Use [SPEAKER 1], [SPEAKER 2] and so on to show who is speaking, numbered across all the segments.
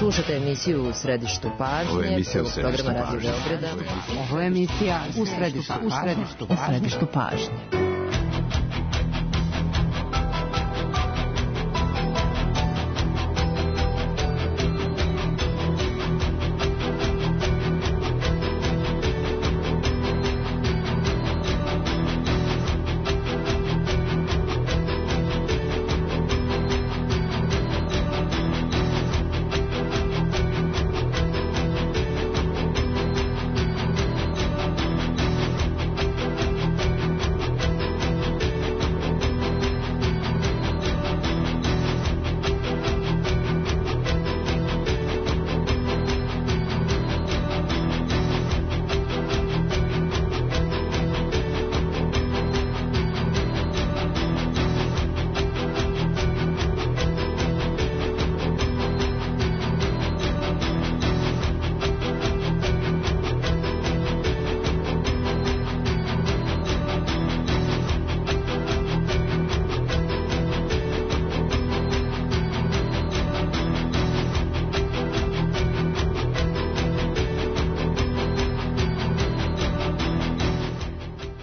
[SPEAKER 1] Slušate emisiju U središtu pažnje, programa Radio Beograda.
[SPEAKER 2] Ovo je emisija U središtu pažnje.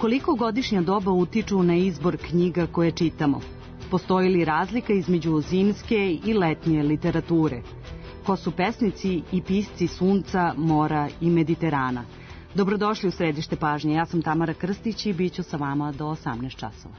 [SPEAKER 2] Koliko godišnja doba utiču na izbor knjiga koje čitamo? Postoji li razlika između zimske i letnje literature? Ko su pesnici i pisci sunca, mora i Mediterana? Dobrodošli u središte pažnje. Ja sam Tamara Krstić i bit ću sa vama do 18 časova.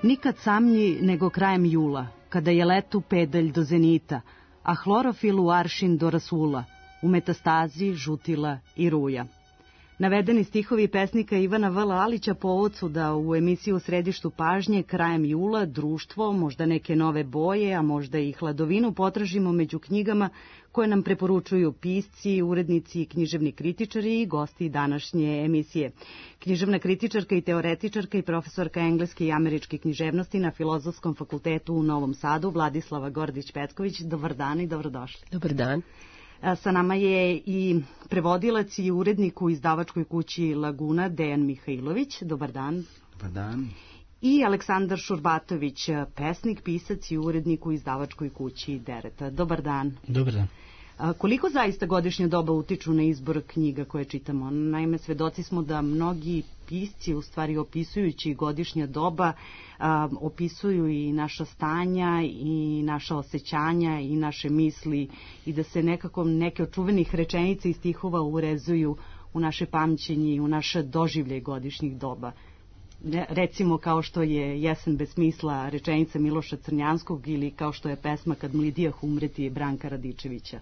[SPEAKER 2] Nikad samnji nego krajem jula, kada je letu pedalj do zenita, a hlorofil u aršin do rasula, u metastazi žutila i ruja. Navedeni stihovi pesnika Ivana V. Lalića povod su da u emisiju U središtu pažnje krajem jula društvo, možda neke nove boje, a možda i hladovinu potražimo među knjigama koje nam preporučuju pisci, urednici, književni kritičari i gosti današnje emisije. Književna kritičarka i teoretičarka i profesorka engleske i američke književnosti na Filozofskom fakultetu u Novom Sadu, Vladislava Gordić-Petković. Dobar dan i dobrodošli.
[SPEAKER 1] Dobar dan.
[SPEAKER 2] Sa nama je i prevodilac i urednik u izdavačkoj kući Laguna, Dejan Mihajlović. Dobar dan.
[SPEAKER 3] Dobar dan.
[SPEAKER 2] I Aleksandar Šurbatović, pesnik, pisac i urednik u izdavačkoj kući Dereta. Dobar dan.
[SPEAKER 3] Dobar dan.
[SPEAKER 2] Koliko zaista godišnja doba utiču na izbor knjiga koje čitamo? Naime, svedoci smo da mnogi pisci, u stvari opisujući godišnja doba, opisuju i naša stanja i naša osjećanja i naše misli i da se nekako neke od čuvenih rečenica i stihova urezuju u naše pamćenje i u naše doživlje godišnjih doba. Recimo kao što je Jesen bez smisla rečenica Miloša Crnjanskog ili kao što je pesma Kad mlidijah umreti Branka Radičevića.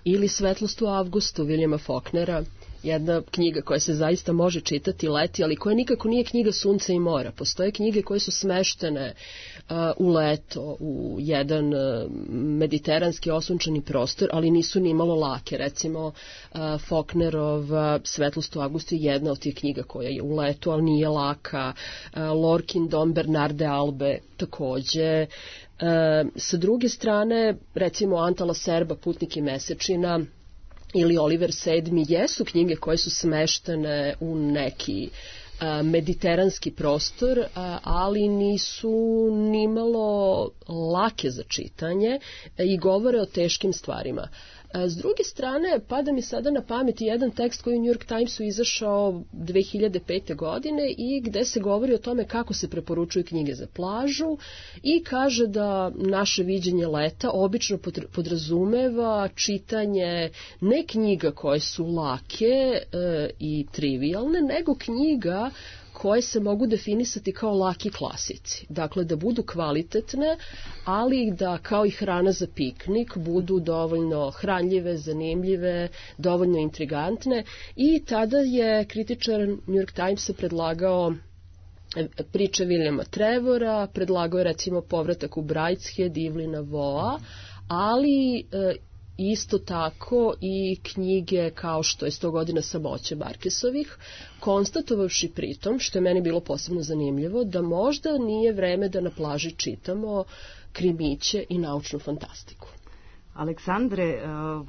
[SPEAKER 4] Ili Svetlost u avgustu Viljama Faulknera, jedna knjiga koja se zaista može čitati leti, ali koja nikako nije knjiga sunca i mora. Postoje knjige koje su smeštene u leto, u jedan mediteranski osunčani prostor, ali nisu ni malo lake. Recimo, Faulknerov Svetlost u avgustu je jedna od tih knjiga koja je u letu, ali nije laka. Lorkin Dom Bernarde Albe takođe. Sa druge strane, recimo Antala Serba Putnik i mesečina ili Oliver VII jesu knjige koje su smeštene u neki mediteranski prostor, ali nisu nimalo lake za čitanje i govore o teškim stvarima. S druge strane, pada mi sada na pamet jedan tekst koji u New York Timesu izašao 2005. godine i gde se govori o tome kako se preporučuju knjige za plažu i kaže da naše viđenje leta obično podrazumeva čitanje ne knjiga koje su lake i trivialne, nego knjiga koje se mogu definisati kao laki klasici. Dakle, da budu kvalitetne, ali da kao i hrana za piknik budu dovoljno hranljive, zanimljive, dovoljno intrigantne. I tada je kritičar New York Timesa predlagao priče Williama Trevora, predlagao je recimo Povratak u Brideshead Evelina Waugha, ali isto tako i knjige kao što je 100 godina samoće Marquesovih, konstatovavši pritom, što je meni bilo posebno zanimljivo, da možda nije vreme da na plaži čitamo krimiće i naučnu fantastiku.
[SPEAKER 2] Aleksandre,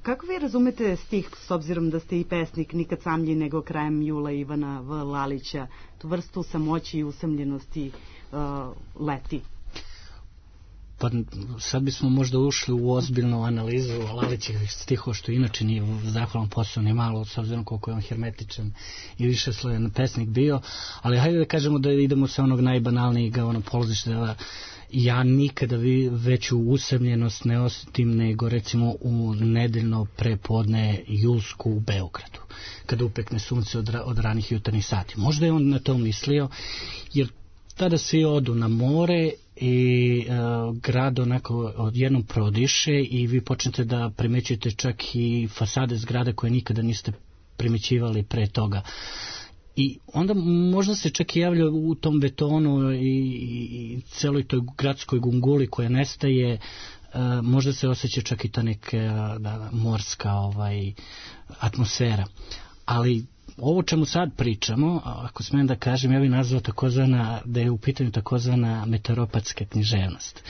[SPEAKER 2] kako vi razumete stih, s obzirom da ste i pesnik, nikad samlji nego krajem jula Ivana V. Lalića, tu vrstu samoći i usamljenosti leti?
[SPEAKER 3] Pa sad bismo možda ušli u ozbiljnu analizu Lalićevih stihova, što inače nije zahvalan posao ni malo, s obzirom koliko je on hermetičan i više slojan pesnik bio, ali hajde da kažemo da idemo sa onog najbanalnijeg polazišta, da ja nikada veću usamljenost ne osjetim nego recimo u nedeljno prepodne julsku u Beogradu, kada upekne sunce od ranih jutarnjih sati. Možda je on na to mislio, jer tada svi odu na more i grad onako odjednom prodiše i vi počnete da primećujete čak i fasade zgrada koje nikada niste primećivali pre toga. I onda možda se čak i javlja u tom betonu i celoj toj gradskoj gunguli koja nestaje, možda se osjeća čak i ta neka morska atmosfera. Ali ovo čemu sad pričamo, ako smijem da kažem, ja bih nazvao da je u pitanju takozvana meteoropatska književnost.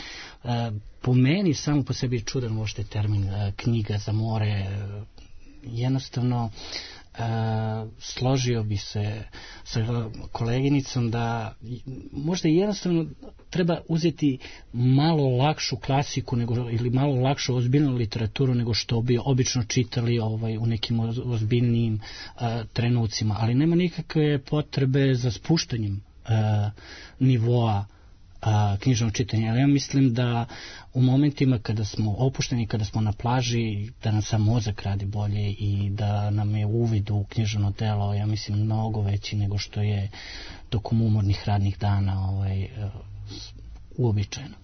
[SPEAKER 3] Po meni samo po sebi je čudan možda termin knjiga za more. Jednostavno složio bi se sa koleginicom da možda jednostavno treba uzeti malo lakšu klasiku ili malo lakšu ozbiljnu literaturu nego što bi obično čitali u nekim ozbiljnijim trenucima, ali nema nikakve potrebe za spuštanjem nivoa knjižnog čitanja. Ali ja mislim da u momentima kada smo opušteni, kada smo na plaži, da nam sam mozak radi bolje i da nam je uvid u književno delo, ja mislim, mnogo veći nego što je tokom umornih radnih dana uobičajeno.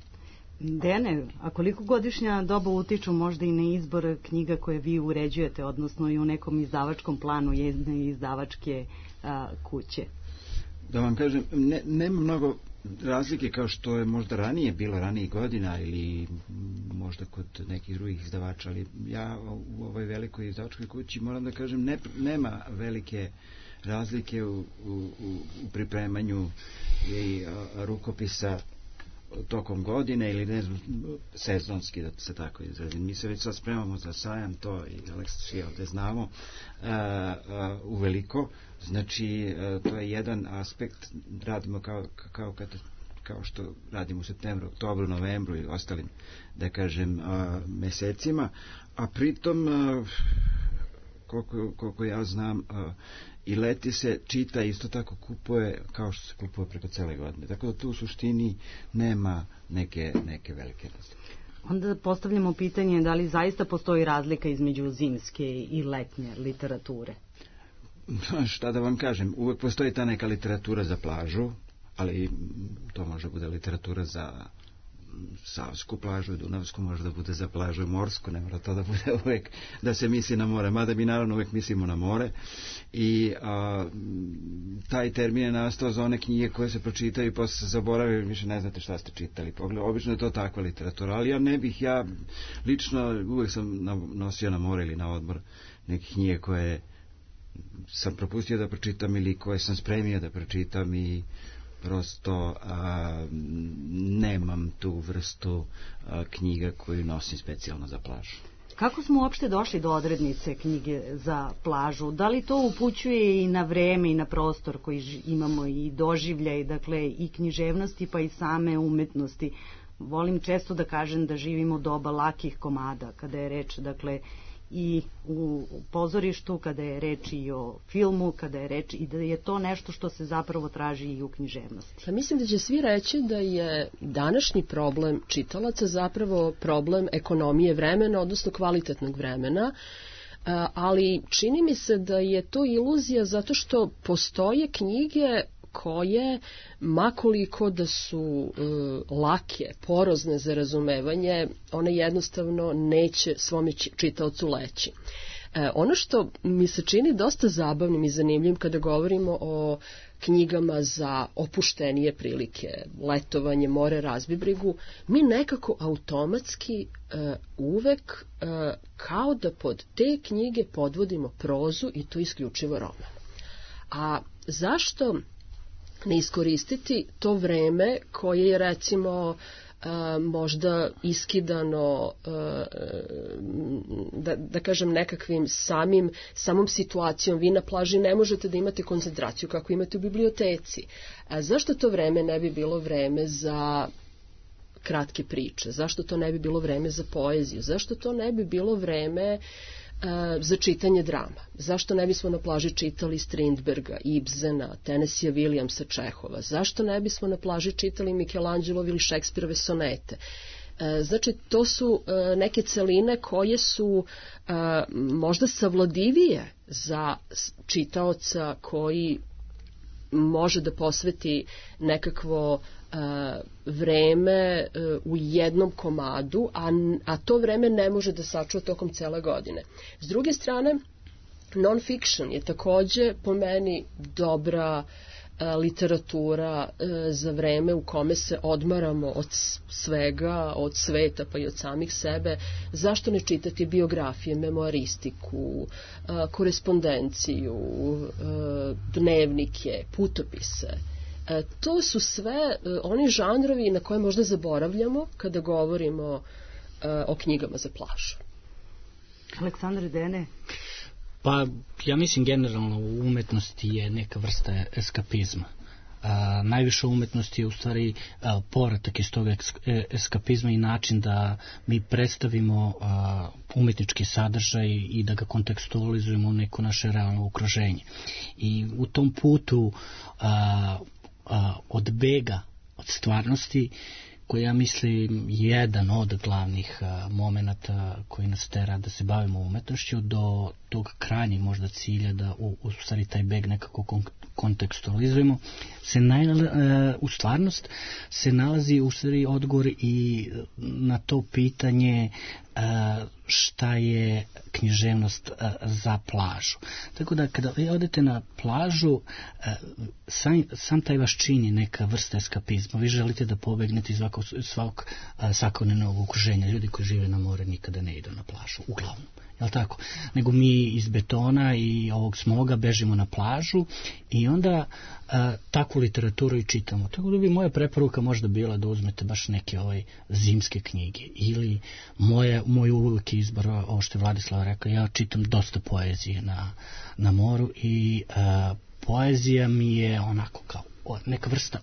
[SPEAKER 2] Dejane, a koliko godišnja doba utiču možda i na izbor knjiga koje vi uređujete, odnosno i u nekom izdavačkom planu jedne izdavačke kuće?
[SPEAKER 5] Da vam kažem, nema mnogo razlike kao što je možda ranije bilo, ranijih godina ili možda kod nekih drugih izdavača, ali ja u ovoj velikoj izdavačkoj kući moram da kažem nema velike razlike u pripremanju i rukopisa tokom godine ili ne znam, sezonski, da se tako izrazim. Mi se već sad spremamo za sajam, to i Aleksa svi ovde znamo, uveliko. Znači, to je jedan aspekt, radimo kao što radimo u septembru, oktobru, novembru i ostalim, da kažem, mesecima, a pritom, koliko ja znam, i leti se čita, isto tako kupuje kao što se kupuje preko cele godine. Tako da tu u suštini nema neke velike razlike.
[SPEAKER 2] Onda postavljamo pitanje da li zaista postoji razlika između zimske i letnje literature?
[SPEAKER 5] Šta da vam kažem, uvek postoji ta neka literatura za plažu, ali to može bude literatura za Savsku plažu i Dunavsku, može da bude za plažu morsku, ne mora to da bude uvek da se misli na more, mada mi naravno uvek mislimo na more. I taj termin je nastao za one knjige koje se pročitaju i posle se zaboravaju, više ne znate šta ste čitali. Obično je to takva literatura, ali ja lično uvek sam nosio na more ili na odmor neke knjige koje sam propustio da pročitam ili koje sam spremio da pročitam i prosto nemam tu vrstu knjiga koju nosim specijalno za plažu.
[SPEAKER 2] Kako smo uopšte došli do odrednice knjige za plažu? Da li to upućuje i na vreme i na prostor koji imamo i doživljaj, dakle i književnosti pa i same umetnosti? Volim često da kažem da živimo doba lakih komada, kada je reč, dakle, i u pozorištu, kada je reč i o filmu, kada je reč i da je to nešto što se zapravo traži i u književnosti.
[SPEAKER 4] Pa mislim da će svi reći da je današnji problem čitalaca zapravo problem ekonomije vremena, odnosno kvalitetnog vremena, ali čini mi se da je to iluzija zato što postoje knjige koje, makoliko da su lake, porozne za razumevanje, one jednostavno neće svome čitaocu leći. Ono što mi se čini dosta zabavnim i zanimljivim kada govorimo o knjigama za opuštenije prilike, letovanje, more, razbibrigu, mi nekako automatski uvek kao da pod te knjige podvodimo prozu i to isključivo roman. A zašto ne iskoristiti to vreme koje je recimo možda iskidano da kažem nekakvim samom situacijom. Vi na plaži ne možete da imate koncentraciju kako imate u biblioteci. Zašto to vreme ne bi bilo vreme za kratke priče? Zašto to ne bi bilo vreme za poeziju? Zašto to ne bi bilo vreme za čitanje drama? Zašto ne bismo na plaži čitali Strindberga, Ibsena, Tennessee Williamsa, Čehova? Zašto ne bismo na plaži čitali Michelangelove ili Šekspirove sonete? Znači, to su neke celine koje su možda savladivije za čitaoca koji može da posveti nekakvo vreme u jednom komadu, a to vreme ne može da sačuva tokom cele godine. S druge strane, non-fiction je takođe po meni dobra literatura za vreme u kome se odmaramo od svega, od sveta pa i od samih sebe. Zašto ne čitati biografije, memoaristiku, korespondenciju, dnevnike, putopise? To su sve oni žanrovi na koje možda zaboravljamo kada govorimo o knjigama za plažu.
[SPEAKER 2] Aleksandar Dene?
[SPEAKER 3] Pa, ja mislim generalno u umetnosti je neka vrsta eskapizma. Najviše umetnosti je u stvari povratak iz tog eskapizma i način da mi predstavimo umetnički sadržaj i da ga kontekstualizujemo u neko naše realno okruženje. I u tom putu od bega od stvarnosti, koji ja mislim jedan od glavnih momenata koji nas tera da se bavimo umetnošću, do tog krajnjeg možda cilja da u stvari taj beg nekako kontekstualizujemo, u stvarnost se nalazi u stvari odgovor i na to pitanje šta je književnost za plažu. Tako da kada vi odete na plažu, sam taj vaš čin je neka vrsta eskapizma. Vi želite da pobegnete iz svakog svakodnevnog okruženja. Ljudi koji žive na more nikada ne idu na plažu, uglavnom. Jel tako? Nego mi iz betona i ovog smoga bežimo na plažu i onda takvu literaturu i čitamo. Tako da bi moja preporuka možda bila da uzmete baš neke zimske knjige ili moj uvijek izbor, ovo što je Vladislava rekao, ja čitam dosta poezije na moru i poezija mi je onako kao neka vrsta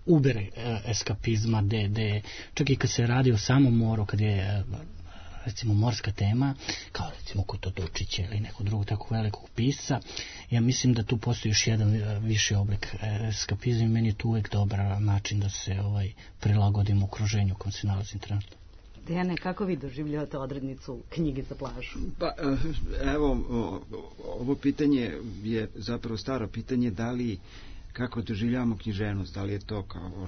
[SPEAKER 3] ubere eskapizma, čak i kad se radi o samom moru, kad je recimo morska tema, kao recimo kod Totučića ili nekog drugog tako velikog pisca, ja mislim da tu postoji još jedan viši oblik eskapizma i meni je tu uvijek dobar način da se prilagodim okruženju u kojem se nalazim trenutno.
[SPEAKER 2] Dejane, kako vi doživljavate odrednicu knjige za plažu?
[SPEAKER 5] Pa, evo, ovo pitanje je zapravo staro pitanje, da li kako doživljavamo književnost, da li je to kao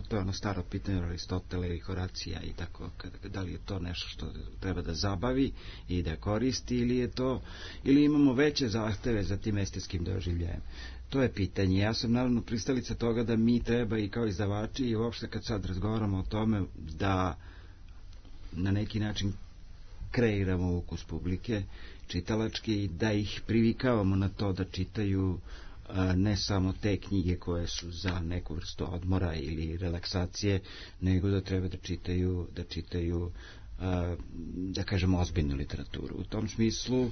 [SPEAKER 5] to je ono staro pitanje Aristotela i Horacija i tako, da li je to nešto što treba da zabavi i da koristi ili imamo veće zahteve za tim estetskim doživljajem. To je pitanje. Ja sam naravno pristalica toga da mi treba i kao izdavači i uopšte kad sad razgovaramo o tome da na neki način kreiramo ukus publike čitalački, da ih privikavamo na to da čitaju ne samo te knjige koje su za neku vrstu odmora ili relaksacije, nego da treba da čitaju da kažemo ozbiljnu literaturu. U tom smislu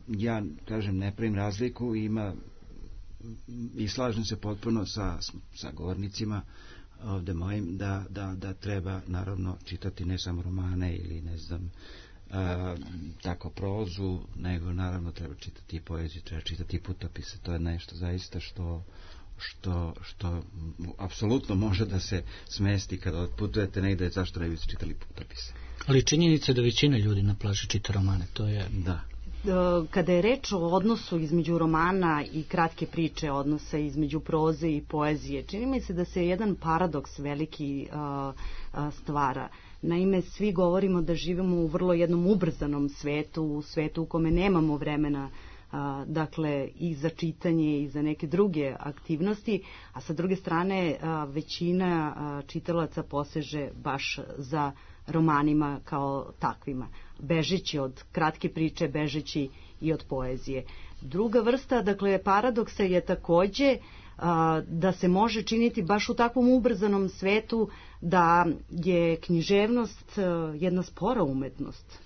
[SPEAKER 5] ja kažem ne pravim razliku, i slažem se potpuno sa govornicima ovde mojim da treba naravno čitati ne samo romane ili ne znam tako prozu, nego naravno treba čitati i poeziju, treba čitati i putopise. To je nešto zaista što apsolutno može da se smesti kada otputujete negde, zašto ne biste čitali putopise.
[SPEAKER 3] Ali činjenica je da većina ljudi na plaži čita romane, to je...
[SPEAKER 5] Da.
[SPEAKER 2] Kada je reč o odnosu između romana i kratke priče, odnosa između proze i poezije, čini mi se da se jedan paradoks veliki stvara. Naime, svi govorimo da živimo u vrlo jednom ubrzanom svetu, u svetu u kome nemamo vremena dakle i za čitanje i za neke druge aktivnosti, a sa druge strane većina čitalaca poseže baš za romanima kao takvima, bežeći od kratke priče, bežeći i od poezije. Druga vrsta, dakle, paradoksa je takođe da se može činiti baš u takvom ubrzanom svetu da je književnost jedna spora umetnost.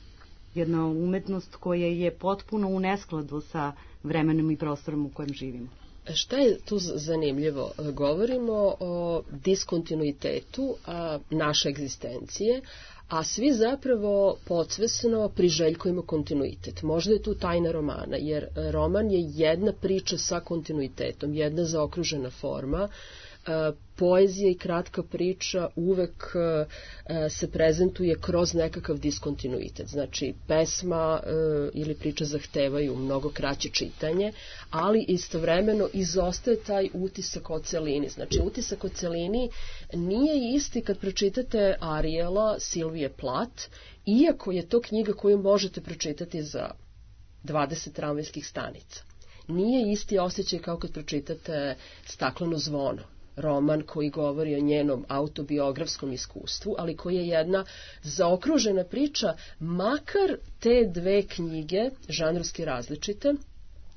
[SPEAKER 2] Jedna umetnost koja je potpuno u neskladu sa vremenom i prostorom u kojem živimo.
[SPEAKER 4] Šta je tu zanimljivo? Govorimo o diskontinuitetu naše egzistencije, a svi zapravo podsvesno priželjkujemo kontinuitet. Možda je tu tajna romana, jer roman je jedna priča sa kontinuitetom, jedna zaokružena forma. Poezija i kratka priča uvek se prezentuje kroz nekakav diskontinuitet. Znači, pesma ili priča zahtevaju mnogo kraće čitanje, ali istovremeno izostaje taj utisak o celini. Znači, utisak o celini nije isti kad pročitate Ariela Silvije Plath, iako je to knjiga koju možete pročitati za 20 tramvajskih stanica. Nije isti osjećaj kao kad pročitate Stakleno zvono, roman koji govori o njenom autobiografskom iskustvu, ali koji je jedna zaokružena priča, makar te dve knjige, žanrovski različite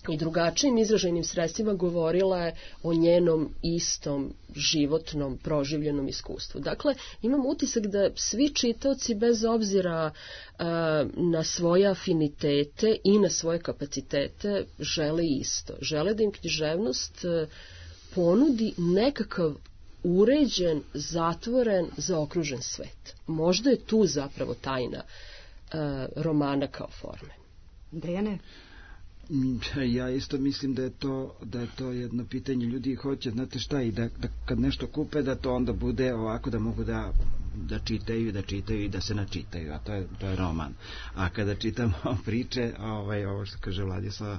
[SPEAKER 4] i drugačijim izražajnim sredstvima, govorila je o njenom istom životnom, proživljenom iskustvu. Dakle, imam utisak da svi čitaoci, bez obzira na svoje afinitete i na svoje kapacitete, žele isto. Žele da im književnost ponudi nekakav uređen, zatvoren, zaokružen svet. Možda je tu zapravo tajna romana kao forme.
[SPEAKER 2] Dejane?
[SPEAKER 5] Ja isto mislim da je to jedno pitanje. Ljudi hoće, znate šta, i da kad nešto kupe, da to onda bude ovako, da mogu da čitaju i da se načitaju, a to je roman. A kada čitamo priče, ovo što kaže Vladislava,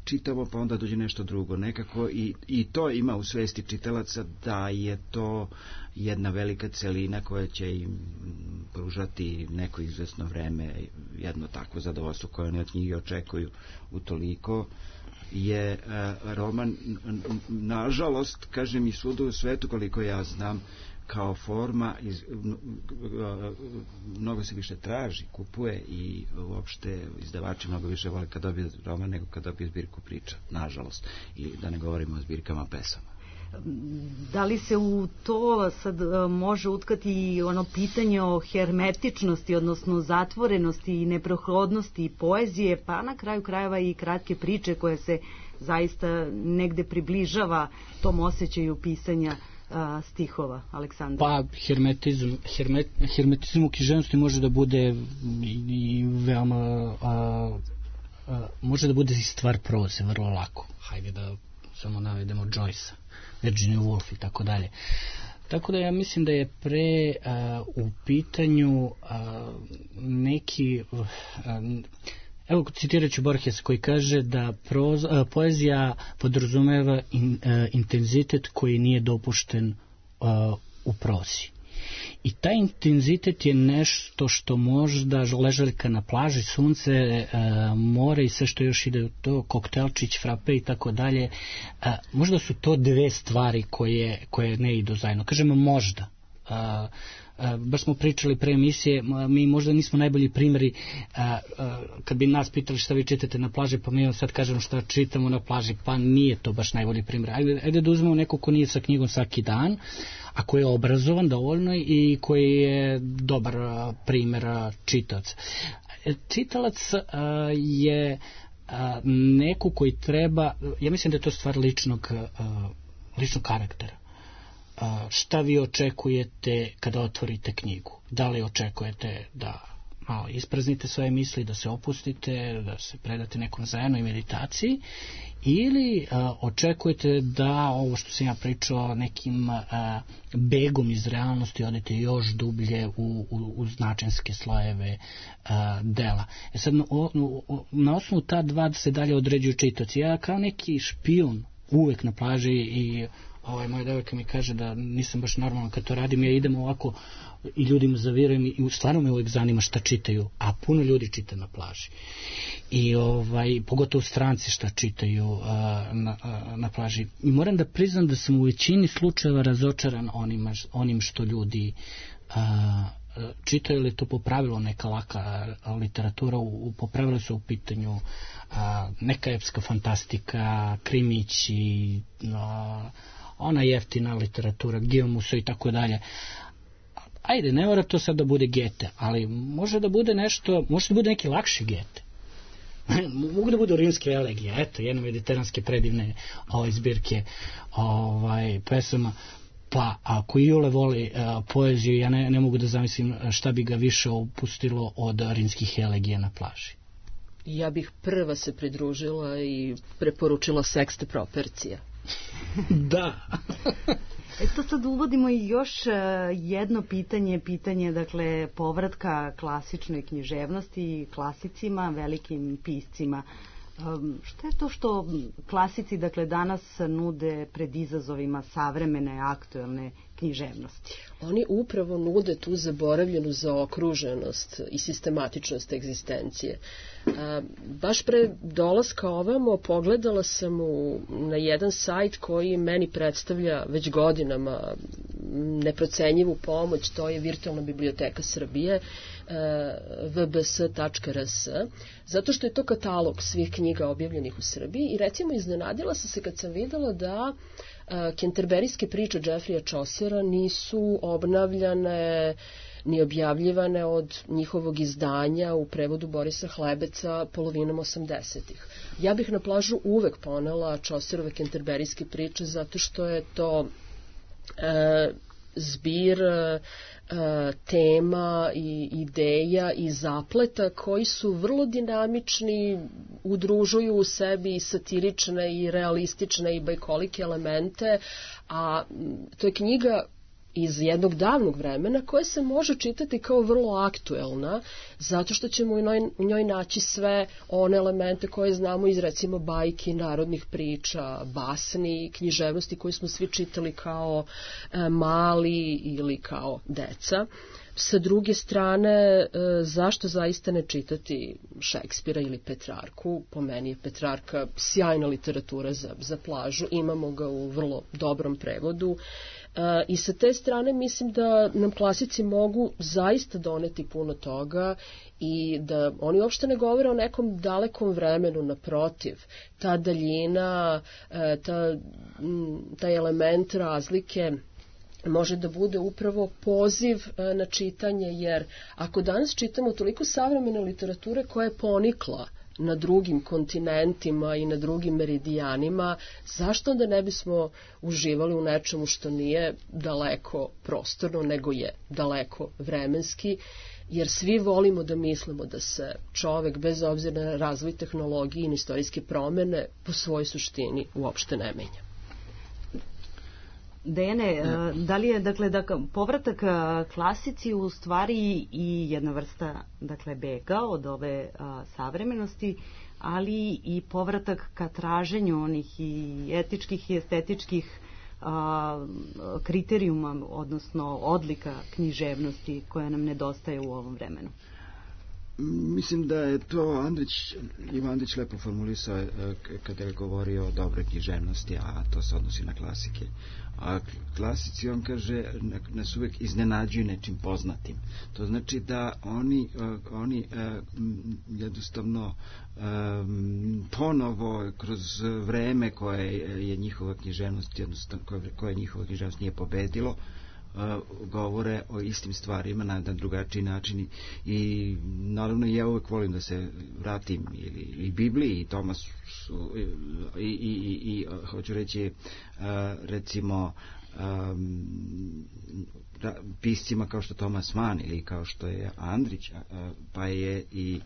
[SPEAKER 5] čitamo, pa onda dođe nešto drugo. Nekako i to ima u svesti čitalaca da je to jedna velika celina koja će im pružati neko izvesno vreme, jedno takvo zadovoljstvo koje oni od knjige očekuju. Utoliko je roman, nažalost, kažem, i svuda u svetu, koliko ja znam, kao forma mnogo se više traži, kupuje i uopšte izdavači mnogo više vole kad dobije roman nego kad dobije zbirku priča, nažalost, i da ne govorimo o zbirkama pesama.
[SPEAKER 2] Da li se u to sad može utkati ono pitanje o hermetičnosti, odnosno zatvorenosti i neprohodnosti poezije, pa na kraju krajeva i kratke priče koje se zaista negde približava tom osjećaju pisanja stihova, Aleksandar?
[SPEAKER 3] Pa, hermetizam u književnosti može da bude i veoma može da bude i stvar proze, vrlo lako. Hajde da samo navedemo Joyce-a, Virginia Woolf i tako dalje. Tako da ja mislim da je pre u pitanju neki evo, citirat ću Borgesa koji kaže da poezija podrazumeva intenzitet koji nije dopušten u prozi. I taj intenzitet je nešto što možda ležaljka na plaži, sunce, more i sve što još ide u to, koktelčić, frape i tako dalje. Možda su to dve stvari koje ne idu zajedno. Kažemo možda. Baš smo pričali pre emisije, mi možda nismo najbolji primjeri kad bi nas pitali šta vi čitate na plaži, pa mi sad kažemo šta čitamo na plaži, pa nije to baš najbolji primjer. Ajde da uzmemo neko ko nije sa knjigom svaki dan, a koji je obrazovan dovoljno i koji je dobar primjer čitaoca. Čitalac je neko koji treba, ja mislim da je to stvar ličnog karaktera. Šta vi očekujete kada otvorite knjigu? Da li očekujete da ispraznite svoje misli, da se opustite, da se predate nekom zajednoj meditaciji, ili očekujete da ovo što sam ja pričao nekim begom iz realnosti odete još dublje u značenske slojeve dela. Sad, na osnovu ta dva se dalje određuju čitaoci. Ja kao neki špijun uvek na plaži i moja devojka mi kaže da nisam baš normalan kad to radim, ja idem ovako i ljudima zavirujem i stvarno me uvek zanima šta čitaju, a puno ljudi čita na plaži. I pogotovo stranci šta čitaju na plaži. I moram da priznam da sam u većini slučajeva razočaran onim što ljudi čitaju, li to po pravilu neka laka literatura, po pravilu su u pitanju neka epska fantastika, krimići, ona jeftina literatura, Gijomusa i tako dalje. Ajde, ne mora to sad da bude Gete, ali može da bude nešto, može da bude neki lakši Gete. Mogu da budu rimske elegije, eto, jedne mediteranske predivne zbirke pesama. Pa ako Iole voli poeziju, ja ne mogu da zamislim šta bi ga više opustilo od rimskih elegija na plaži.
[SPEAKER 4] Ja bih prva se pridružila i preporučila Sekste Propercija.
[SPEAKER 3] Da.
[SPEAKER 2] Eto sad uvodimo i još jedno pitanje dakle povratka klasičnoj književnosti, klasicima, velikim piscima. Šta je to što klasici dakle danas nude pred izazovima savremene, aktuelne književnosti?
[SPEAKER 4] Oni upravo nude tu zaboravljenu zaokruženost i sistematičnost egzistencije. Baš pre dolaska ovamo pogledala sam na jedan sajt koji meni predstavlja već godinama neprocenjivu pomoć, to je Virtualna biblioteka Srbije, vbs.rs, zato što je to katalog svih knjiga objavljenih u Srbiji i recimo iznenadila sam se kad sam videla da kenterberijske priče Jeffreya Chaucera nisu obnavljane ni objavljivane od njihovog izdanja u prevodu Borisa Hlebeca polovinom 80-ih. Ja bih na plažu uvek ponela Chaucerove kenterberijske priče zato što je to zbir tema i ideja i zapleta koji su vrlo dinamični, udružuju u sebi i satirične i realistične i bajkolike elemente, a to je knjiga iz jednog davnog vremena koja se može čitati kao vrlo aktuelna, zato što ćemo u njoj naći sve one elemente koje znamo iz recimo bajki, narodnih priča, basni, književnosti koje smo svi čitali kao mali ili kao deca. Sa druge strane, zašto zaista ne čitati Šekspira ili Petrarku? Po meni je Petrarka sjajna literatura za plažu, imamo ga u vrlo dobrom prevodu. I sa te strane mislim da nam klasici mogu zaista doneti puno toga i da oni uopšte ne govore o nekom dalekom vremenu, naprotiv. Ta daljina, taj element razlike može da bude upravo poziv na čitanje, jer ako danas čitamo toliko savremene literature koja je ponikla na drugim kontinentima i na drugim meridijanima, zašto onda ne bismo uživali u nečemu što nije daleko prostorno, nego je daleko vremenski, jer svi volimo da mislimo da se čovek, bez obzira na razvoj tehnologije i na istorijske promene, po svojoj suštini uopšte ne menja.
[SPEAKER 2] Dejane, da li je povratak klasici u stvari i jedna vrsta bega od ove savremenosti, ali i povratak ka traženju onih i etičkih i estetičkih kriterijuma, odnosno odlika književnosti koja nam nedostaje u ovom vremenu?
[SPEAKER 5] Mislim da je to Ivo Andrić lepo formulisao kada je govorio o dobroj književnosti, a to se odnosi na klasike. A klasici, on kaže, nas uvek iznenađuju nečim poznatim. To znači da oni jednostavno ponovo kroz vreme koje je njihova književnost, jednostavno koje njihova književnost nije pobedilo, govore o istim stvarima na drugačiji način i naravno ja uvek volim da se vratim i Bibliji i Tomasu i hoću reći recimo piscima kao što Thomas Mann ili kao što je Andrić, pa je i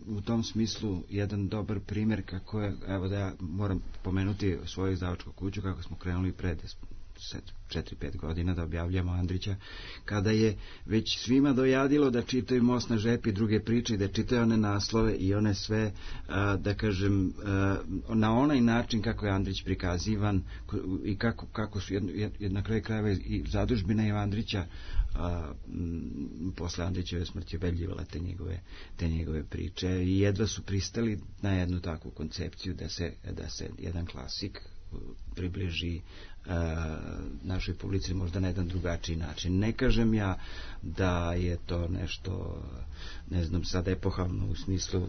[SPEAKER 5] u tom smislu jedan dobar primjer kako je, evo da ja moram pomenuti svoju izdavačku kuću, kako smo krenuli pred 4-5 godina da objavljamo Andrića, kada je već svima dojadilo da čitaju Most na žepi, druge priče i da čitaju one naslove i one sve, da kažem, na onaj način kako je Andrić prikazivan i kako su na kraju krajeva i zadužbina i Andrića posle Andrićeve smrti obeljivale te njegove priče i jedva su pristali na jednu takvu koncepciju da se jedan klasik približi našoj publici možda na jedan drugačiji način. Ne kažem ja da je to nešto, ne znam, sad epohalno u smislu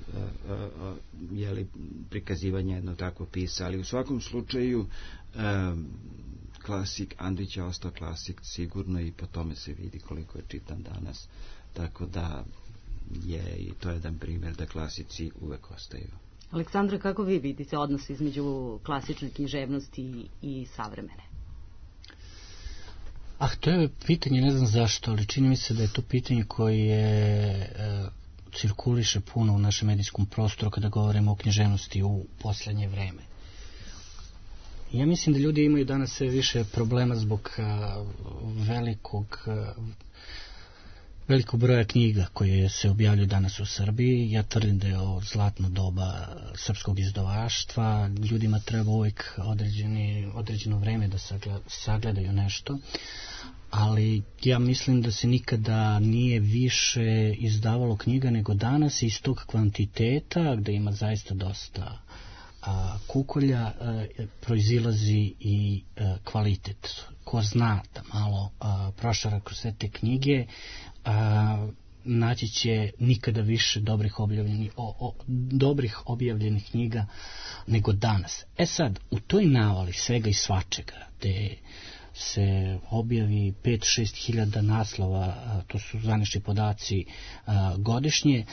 [SPEAKER 5] prikazivanja jedno takvo pisa, ali u svakom slučaju klasik Andrića ostao klasik sigurno i po tome se vidi koliko je čitan danas, tako da je i to jedan primjer da klasici uvek ostaju.
[SPEAKER 2] Aleksandra, kako vi vidite odnos između klasične književnosti i savremene?
[SPEAKER 3] To je pitanje, ne znam zašto, ali čini mi se da je to pitanje koje cirkuliše puno u našem medijskom prostoru kada govorimo o književnosti u poslednje vreme. Ja mislim da ljudi imaju danas sve više problema zbog velikog broja knjiga koje se objavljuju danas u Srbiji. Ja tvrdim da je ovo zlatno doba srpskog izdavaštva. Ljudima treba uvijek određeno vreme da sagledaju nešto, ali ja mislim da se nikada nije više izdavalo knjiga nego danas, iz tog kvantiteta gde ima zaista dosta kukolja proizilazi i kvalitet. Ko zna da malo prošara kroz sve te knjige, naći će nikada više dobrih objavljenih knjiga nego danas. Sad, u toj navali svega i svačega, gde se objavi 5-6 hiljada naslova, to su zvanični podaci godišnje,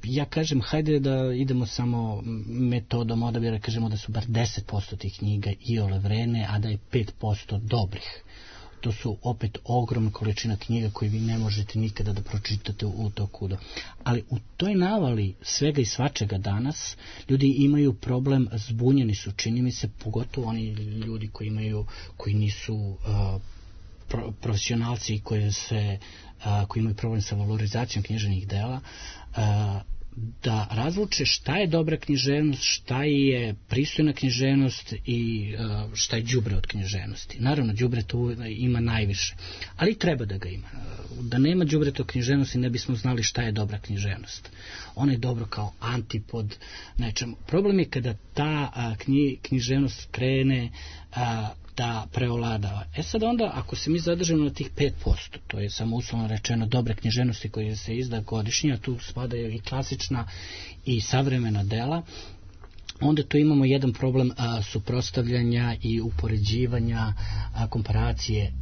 [SPEAKER 3] ja kažem, hajde da idemo samo metodom odabira, kažemo da su bar 10% tih knjiga iole vredne, a da je 5% dobrih. To su opet ogromna količina knjiga koje vi ne možete nikada da pročitate u toku. Ali u toj navali svega i svačega danas ljudi imaju problem, zbunjeni su, čini mi se, pogotovo oni ljudi koji nisu profesionalci i koji imaju problem sa valorizacijom književnih dela, da razluče šta je dobra književnost, šta je pristojna književnost i šta je đubre od književnosti. Naravno, đubre tu ima najviše, ali treba da ga ima. Da nema đubreta od književnosti ne bismo znali šta je dobra književnost. Ona je dobro kao antipod nečemu. Problem je kada ta književnost krene da preovladava. Sad onda, ako se mi zadržimo na tih 5%, to je samo uslovno rečeno dobre književnosti koje se izda godišnje, a tu spadaju i klasična i savremena dela, onda tu imamo jedan problem suprotstavljanja i upoređivanja, komparacije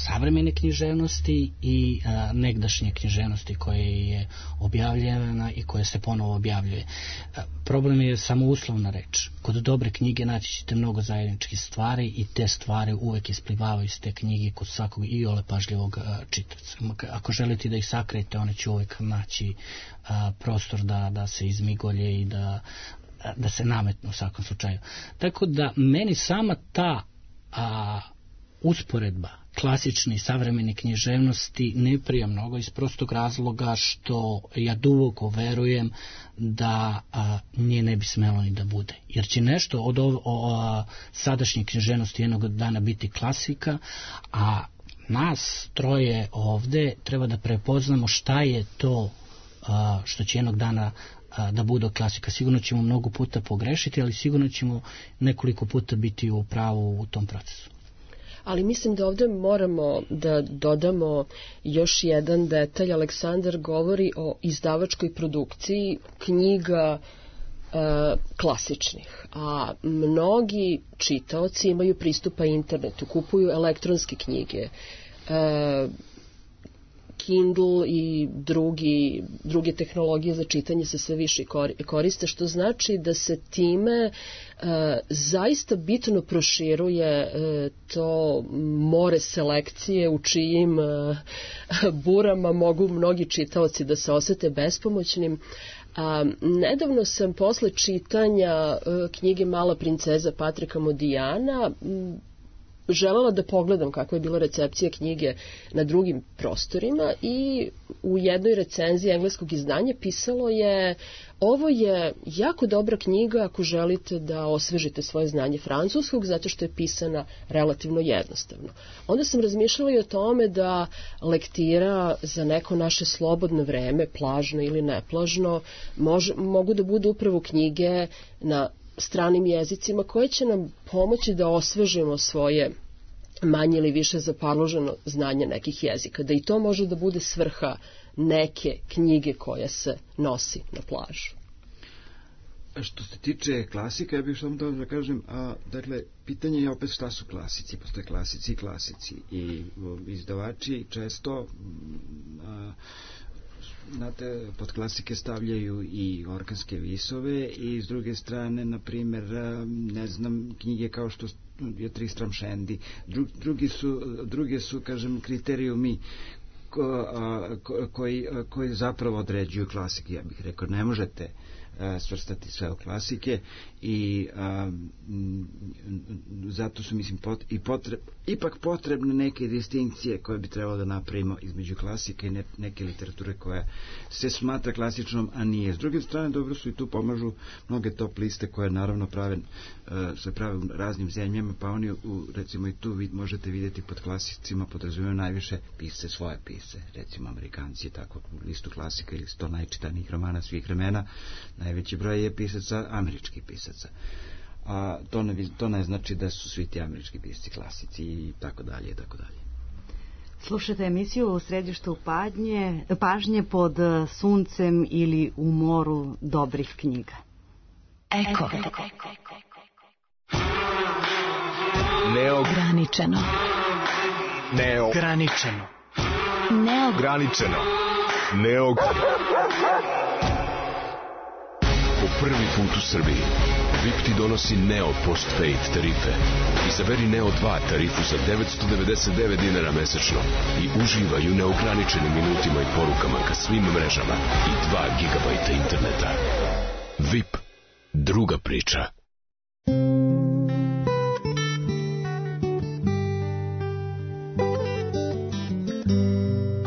[SPEAKER 3] savremene književnosti i negdašnje književnosti koje je objavljena i koje se ponovo objavljuje. Problem je samo uslovna reč. Kod dobre knjige naći ćete mnogo zajedničkih stvari i te stvari uvek isplivavaju iz te knjige kod svakog iole pažljivog čitavca. Ako želite da ih sakrijete, one će uvek naći prostor da se izmigolje i da se nametnu u svakom slučaju. Tako da meni sama ta usporedba klasične i savremene književnosti ne prija mnogo iz prostog razloga što ja duboko verujem da nje ne bi smelo ni da bude. Jer će nešto od sadašnje književnosti jednog dana biti klasika, a nas troje ovde treba da prepoznamo šta je to što će jednog dana da bude klasika. Sigurno ćemo mnogo puta pogrešiti, ali sigurno ćemo nekoliko puta biti u pravu u tom procesu.
[SPEAKER 4] Ali mislim da ovdje moramo da dodamo još jedan detalj. Aleksandar govori o izdavačkoj produkciji knjiga klasičnih, a mnogi čitaoci imaju pristupa internetu, kupuju elektronske knjige, Kindle i druge tehnologije za čitanje se sve više koriste, što znači da se time zaista bitno proširuje to more selekcije u čijim burama mogu mnogi čitaoci da se osete bespomoćnim. Nedavno sam posle čitanja knjige Mala princeza Patrika Modijana želela da pogledam kakva je bila recepcija knjige na drugim prostorima i u jednoj recenziji engleskog izdanja pisalo je: ovo je jako dobra knjiga ako želite da osvežite svoje znanje francuskog, zato što je pisana relativno jednostavno. Onda sam razmišljala i o tome da lektira za neko naše slobodno vreme, plažno ili neplažno, mogu da budu upravo knjige na stranim jezicima koje će nam pomoći da osvežimo svoje manje ili više zaparloženo znanje nekih jezika, da i to može da bude svrha neke knjige koja se nosi na plažu.
[SPEAKER 5] Što se tiče klasika, ja bih samo da kažem, dakle, pitanje je opet šta su klasici. Postoje klasici i klasici. I izdavači često znate, pod klasike stavljaju i orkanske visove i s druge strane, na primjer, ne znam, knjige kao što je Tristram Shandy. Drugi su, kažem, kriterijumi koji zapravo određuju klasike. Ja bih rekao, ne možete svrstati sve u klasike i zato su, mislim, ipak potrebne neke distinkcije koje bi trebalo da napravimo između klasike i neke literature koja se smatra klasičnom, a nije. S druge strane, dobro su i tu pomažu mnoge top liste koje naravno se prave u raznim zemljama, pa oni, recimo, i tu možete vidjeti pod klasicima podrazumijevaju najviše pisce, svoje pisce, recimo Amerikanci, tako listu klasika ili 100 najčitanijih romana svih vremena, najveći broj je pisaca, američkih pisaca. A to ne znači da su svi ti američki pisci klasici i tako dalje i tako dalje.
[SPEAKER 2] Slušajte emisiju u središtu pažnje pod suncem ili u moru dobrih knjiga.
[SPEAKER 6] Eko. Neograničeno.
[SPEAKER 7] Neograničeno.
[SPEAKER 6] Neograničeno.
[SPEAKER 8] Po prvi put u Srbiji VIP ti donosi Neo Postpaid tarife. Izaberi Neo 2 tarifu za 999 dinara mesečno i uživaj u neograničenim minutima i porukama ka svim mrežama i 2 gigabajta interneta. VIP, druga priča.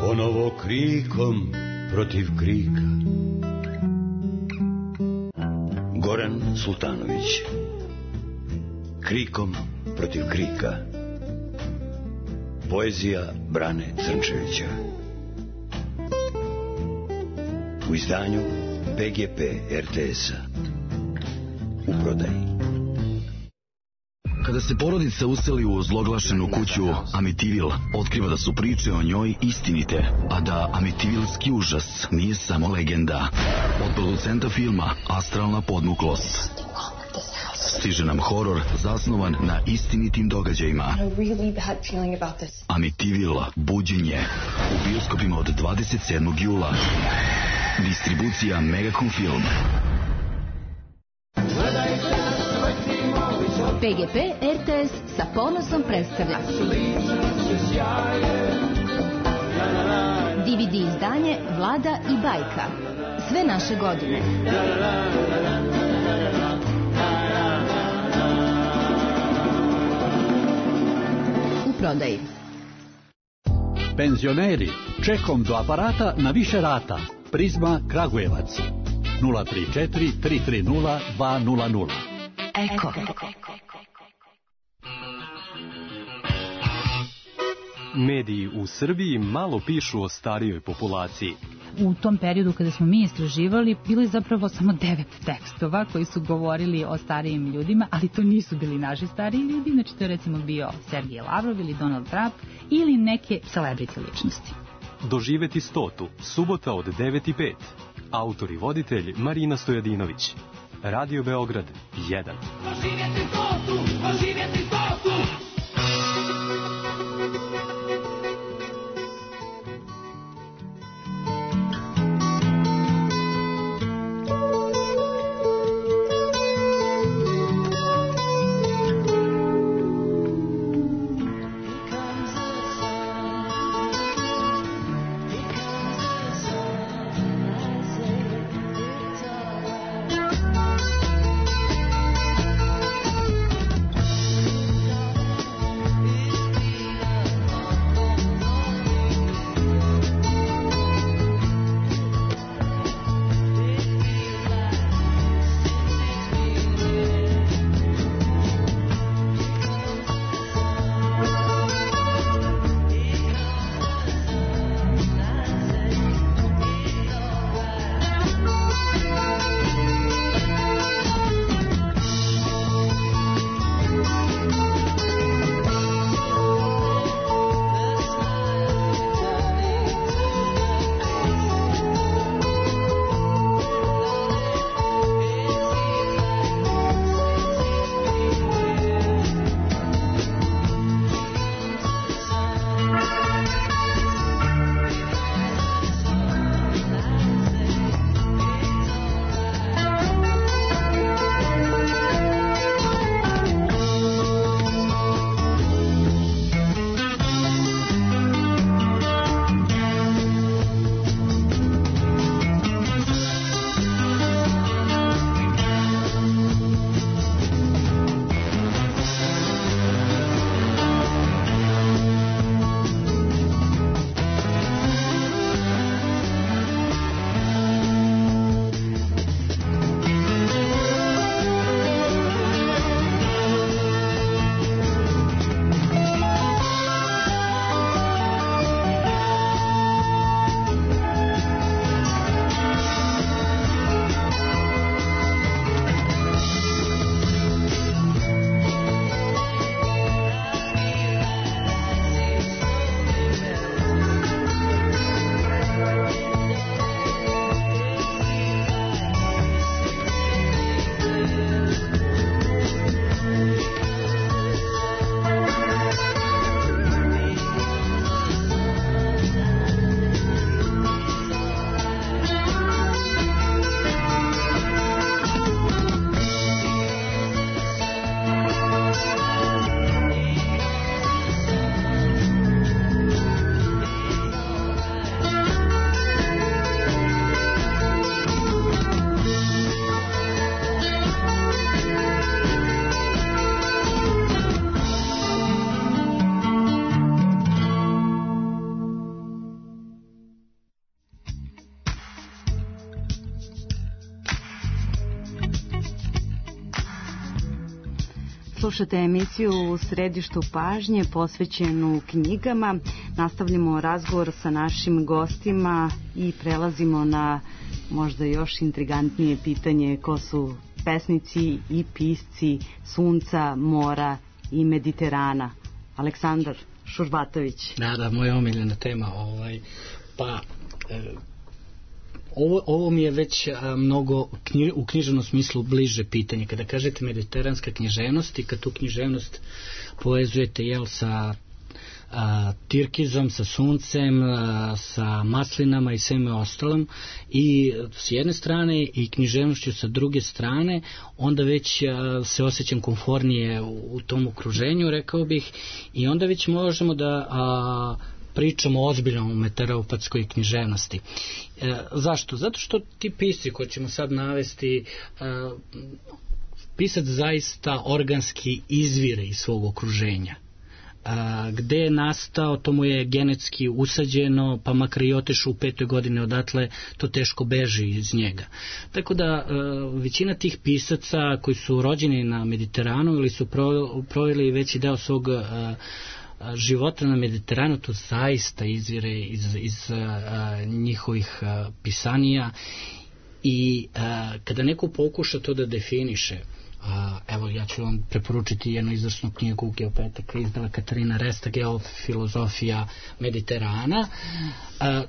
[SPEAKER 9] Ponovo krikom protiv krika. Goran Sultanović. Krikom protiv krika. Poezija Brane Crnčevića. U izdanju PGP RTS-a. U prodaji.
[SPEAKER 10] Kada se porodica useli u ozloglašenu kuću Amityville, otkriva da su priče o njoj istinite, a da amityvilski užas nije samo legenda. Od producenta filma Astralna podmuklost stiže nam horor zasnovan na istinitim događajima. Amityville, buđenje, u bioskopima od 27. jula. Distribucija Megacom Film.
[SPEAKER 6] PGP RTS sa ponosom predstavlja DVD izdanje Vlada i bajka. Sve naše godine. U prodaji.
[SPEAKER 11] Penzioneri, čekom do aparata na više rata. Prizma Kragujevac 034 330 200.
[SPEAKER 6] Eko.
[SPEAKER 7] Mediji u Srbiji malo pišu o starijoj populaciji.
[SPEAKER 12] U tom periodu kada smo mi istraživali, bilo je zapravo samo 9 tekstova koji su govorili o starijim ljudima, ali to nisu bili naši stariji ljudi, znači to je recimo bio Sergej Lavrov ili Donald Trump ili neke celebrity ličnosti.
[SPEAKER 7] Doživeti 100. Subota od 9:05. Autor i voditelj Marina Stojadinović. Radio Beograd 1.
[SPEAKER 13] Oživjeti Kosu!
[SPEAKER 2] Slušate emisiju U središtu pažnje posvećenu knjigama. Nastavljamo razgovor sa našim gostima i prelazimo na možda još intrigantnije pitanje ko su pesnici i pisci Sunca, Mora i Mediterana. Aleksandar Šurbatović.
[SPEAKER 3] Da, moja omiljena tema. Ovo mi je već mnogo u književnom smislu bliže pitanje. Kada kažete mediteranska književnost i kad tu književnost povezujete sa tirkizom, sa suncem, sa maslinama i sveme ostalom i s jedne strane i književnošću sa druge strane, onda već se osjećam komfornije u tom okruženju, rekao bih, i onda već možemo da pričamo o ozbiljnom meteoropatskoj književnosti. Zašto? Zato što ti pisci koji ćemo sad navesti, pisac zaista organski izvire iz svog okruženja. Gde je nastao, to mu je genetski usađeno, pa makar i otišu u 5. godini odatle, to teško beži iz njega. Tako da većina tih pisaca koji su rođeni na Mediteranu ili su proveli veći deo svog života na Mediteranu, to zaista izvire iz njihovih pisanija i kada neko pokuša to da definiše, evo ja ću vam preporučiti jednu izvrsnu knjigu geopetaka izdala Katarina Resta, Geofilozofija Mediterana,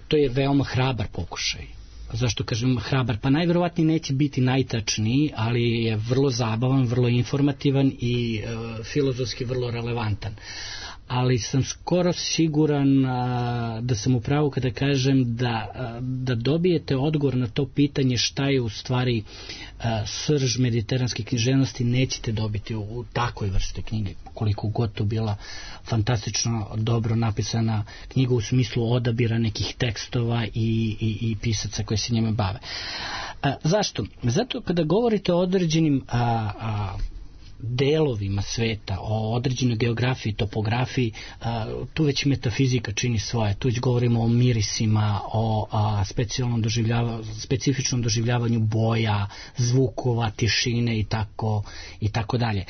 [SPEAKER 3] to je veoma hrabar pokušaj. zašto kažem hrabar, pa najverovatnije neće biti najtačniji, ali je vrlo zabavan, vrlo informativan i filozofski vrlo relevantan. Ali sam skoro siguran da sam u pravu kada kažem da dobijete odgovor na to pitanje šta je u stvari srž mediteranske književnosti, nećete dobiti u takvoj vrsti knjige, koliko god to bila fantastično dobro napisana knjiga u smislu odabira nekih tekstova i pisaca koji se njima bave. Zašto? Zato kada govorite o određenim delovima sveta, o određenoj geografiji, topografiji, tu već metafizika čini svoje, tu već govorimo o mirisima, o specifičnom doživljavanju boja, zvukova, tišine i tako dalje.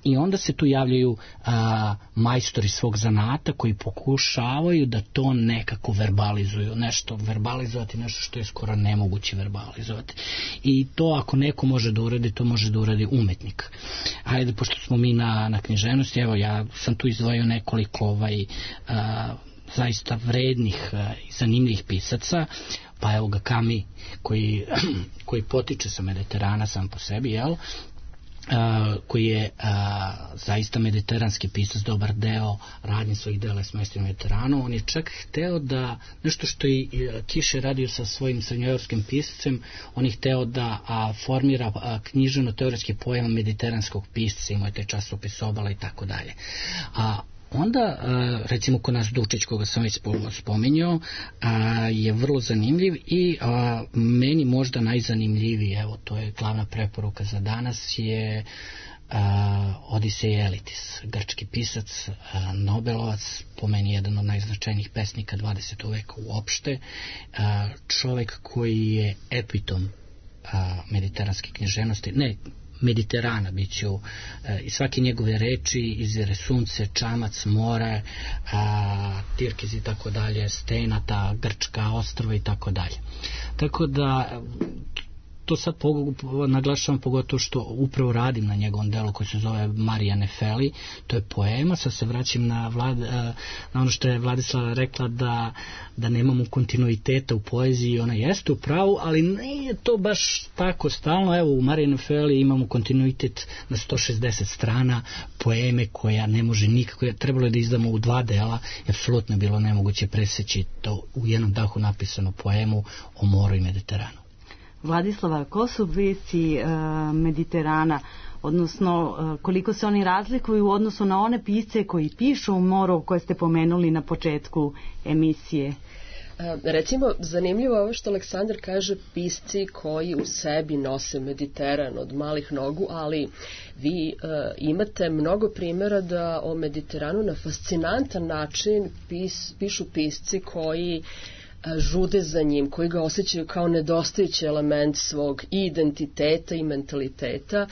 [SPEAKER 3] I onda se tu javljaju majstori svog zanata koji pokušavaju da to nekako verbalizuju, verbalizovati nešto što je skoro nemoguće verbalizovati. I to ako neko može da uradi, to može da uradi umetnik. Ajde, pošto smo mi na književnosti, evo ja sam tu izdvojio nekoliko zaista vrednih i zanimljivih pisaca, pa evo ga Kami koji potiče sa Mediterana sam po sebi, koji je zaista mediteranski pisac, dobar deo radnje svojih dela je smestio na Mediteranu. On je čak hteo da, nešto što i Kiše radio sa svojim srednjoevropskim pisacem, on je hteo da formira književno-teoretski pojam mediteranskog pisca, imao je taj časopis Obala i tako dalje. Onda, recimo kod nas Dučić, koga sam već spominjao, je vrlo zanimljiv i meni možda najzanimljiviji, evo to je glavna preporuka za danas, je Odisej Elitis, grčki pisac, Nobelovac, po meni jedan od najznačajnijih pesnika 20. veka uopšte, čovek koji je epitom mediteranske književnosti, ne Mediterana, biću i svake njegove reči izvire sunce, čamac, more, Tirkiz i tako dalje, Stenata, Grčka, ostrva i tako dalje. Tako da to sad naglašavam pogotovo što upravo radim na njegovom delu koji se zove Marija Nefeli, to je poema. Sad se vraćam na ono što je Vladislava rekla da nemamo kontinuiteta u poeziji, ona jeste u pravu, ali nije to baš tako stalno. Evo u Mariji Nefeli imamo kontinuitet na 160 strana poeme koja ne može nikako, trebalo je da izdamo u 2 dela, apsolutno je bilo nemoguće preseći to u jednom dahu napisanu poemu o moru i Mediteranu.
[SPEAKER 2] Vladislava, ko su pisci Mediterana, odnosno koliko se oni razlikuju u odnosu na one pisce koji pišu o moru koje ste pomenuli na početku emisije?
[SPEAKER 4] Recimo, zanimljivo je ovo što Aleksandar kaže, pisci koji u sebi nose Mediteran od malih nogu, ali vi imate mnogo primjera da o Mediteranu na fascinantan način pišu pisci koji žude za njim, koji ga osjećaju kao nedostajući element svog i identiteta i mentaliteta,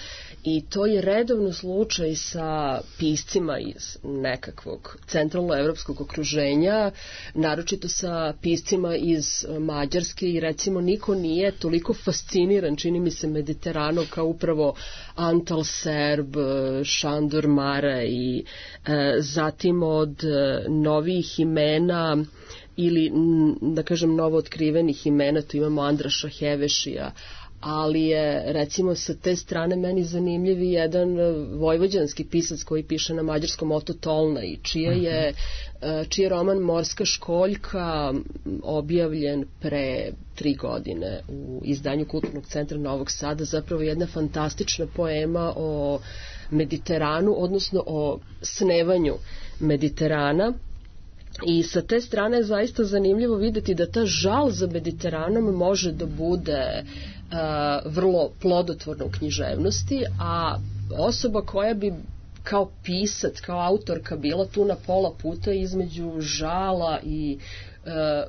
[SPEAKER 4] i to je redovno slučaj sa piscima iz nekakvog centralnoevropskog okruženja, naročito sa piscima iz Mađarske, i recimo niko nije toliko fasciniran, čini mi se, Mediteranom kao upravo Antal Serb, Šandor Mare, i zatim od novih imena ili, da kažem, novo otkrivenih imena, tu imamo Andraša Hevešija, ali je, recimo, sa te strane meni zanimljiv jedan vojvođanski pisac koji piše na mađarskom, Oto Tolnaj, čiji je roman Morska školjka objavljen pre 3 godine u izdanju Kulturnog centra Novog Sada, zapravo jedna fantastična poema o Mediteranu, odnosno o snevanju Mediterana. I sa te strane je zaista zanimljivo vidjeti da ta žal za Mediteranom može da bude vrlo plodotvorna u književnosti, a osoba koja bi kao pisac, kao autorka bila tu na pola puta između žala i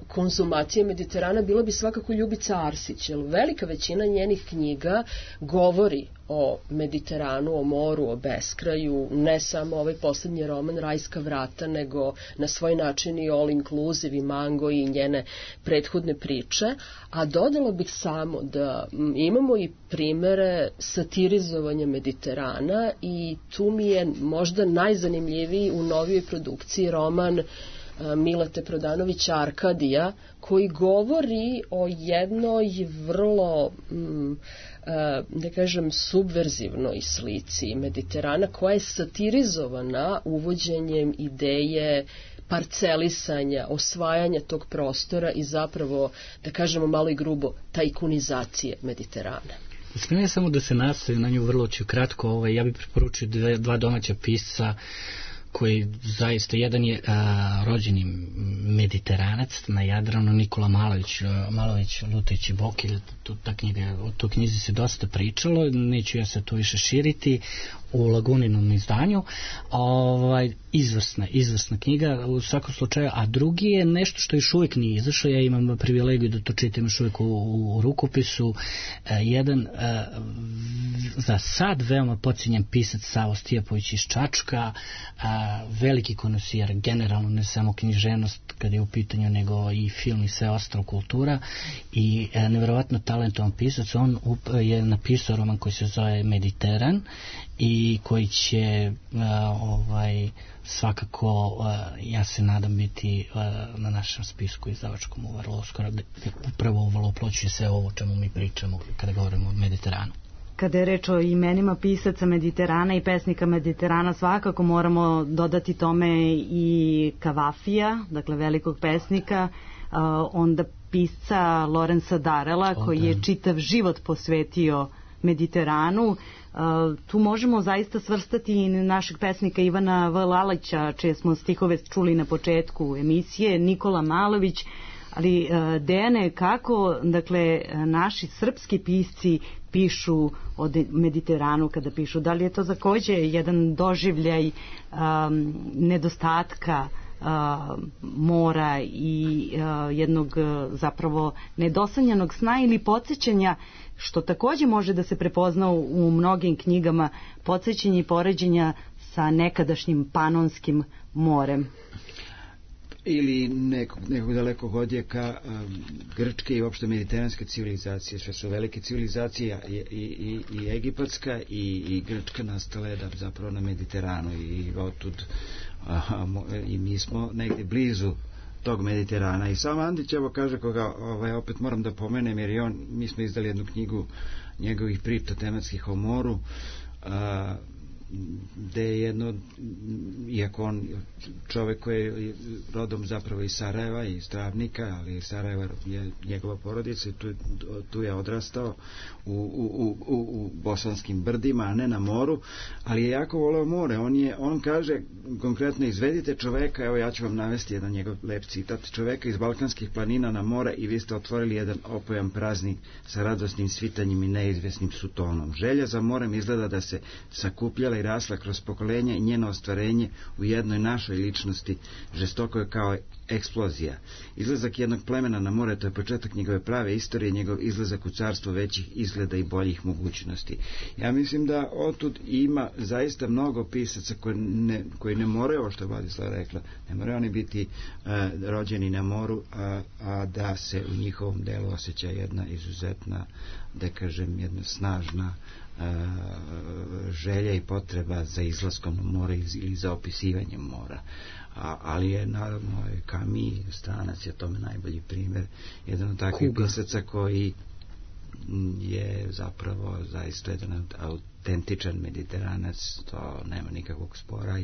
[SPEAKER 4] konzumacije Mediterana bila bi svakako Ljubica Arsić, jer velika većina njenih knjiga govori o Mediteranu, o moru, o beskraju, ne samo ovaj posljednji roman Rajska vrata, nego na svoj način i All Inclusive i Mango i njene prethodne priče. A dodala bih samo da imamo i primere satirizovanja Mediterana, i tu mi je možda najzanimljiviji u novijoj produkciji roman Milete Prodanovića Arkadija, koji govori o jednoj vrlo da kažem subverzivnoj slici Mediterana koja je satirizovana uvođenjem ideje parcelisanja, osvajanja tog prostora i zapravo, da kažemo malo i grubo, tajkunizacije Mediterana.
[SPEAKER 3] Smijem samo da se nastavim na nju vrlo ću kratko. Ja bih preporučio dva domaća pisca koji zaista, jedan je rođeni Mediteranac na Jadranu, Nikola Malović Lutajući Bokilj. O toj knjizi se dosta pričalo, neću ja se to više širiti, u Laguninom izdanju. Izvrsna knjiga u svakom slučaju, a drugi je nešto što još uvijek nije izašlo, ja imam privilegiju da to čitam još uvijek u rukopisu, jedan za sad veoma podcijenjen pisac Savo Stijapović iz Čačka, veliki konosijer generalno, ne samo književnost kada je u pitanju, nego i film i sve ostalo kultura, i nevjerovatno talentovan pisac. On je napisao roman koji se zove Mediteran i koji će svakako, ja se nadam, biti na našem spisku izdavačkom vrlo uskoro, upravo uvalooploćuje sve ovo o čemu mi pričamo kada govorimo o Mediteranu.
[SPEAKER 2] Kada je reč o imenima pisaca Mediterana i pesnika Mediterana, svakako moramo dodati tome i Kavafija, dakle velikog pesnika, onda pisca Lorenza Darela, koji je čitav život posvetio Mediteranu. Tu možemo zaista svrstati i našeg pesnika Ivana V. Lalića, čije smo stihove čuli na početku emisije, Nikola Malović, ali Dejane, kako, dakle, naši srpski pisci pišu o Mediteranu kada pišu? Da li je to također jedan doživljaj nedostatka mora i jednog zapravo nedosanjanog sna ili podsjećanja, što također može da se prepozna u mnogim knjigama, podsjećanja i poređenja sa nekadašnjim Panonskim morem?
[SPEAKER 5] Ili nekog dalekog odjeka grčke i uopšte mediteranske civilizacije, što su velike civilizacije i egipatska i grčka nastale zapravo na Mediteranu i otud i mi smo negdje blizu tog Mediterana. I sam Andić, evo kaže, koga opet moram da pomenem, jer mi smo izdali jednu knjigu njegovih priča tematskih o moru, gde je jedno, iako on čovek koji je rodom zapravo iz Sarajeva i Stravnika, ali Sarajeva je njegova porodica i tu je odrastao u bosanskim brdima, a ne na moru, ali je jako voleo more. On kaže konkretno, izvedite čoveka, evo ja ću vam navesti jedan njegov lep citat, čoveka iz balkanskih planina na more i vi ste otvorili jedan opojan praznik sa radosnim svitanjem i neizvesnim sutonom. Želja za morem izgleda da se sakupljala i rasla kroz pokolenja i njeno ostvarenje u jednoj našoj ličnosti žestoko je kao eksplozija. Izlazak jednog plemena na more, to je početak njegove prave istorije, njegov izlazak u carstvo većih izgleda i boljih mogućnosti. Ja mislim da otud ima zaista mnogo pisaca koji ne moraju, ovo što je Vladislava rekla, ne moraju oni biti rođeni na moru, a da se u njihovom delu osjeća jedna izuzetna, da kažem, jedna snažna želja i potreba za izlaskom na more ili za opisivanjem mora. Ali je naravno Camus, Stranac je tome najbolji primjer, jedan od takvih pisaca koji je zapravo zaista jedan autentičan Mediteranac, to nema nikakvog spora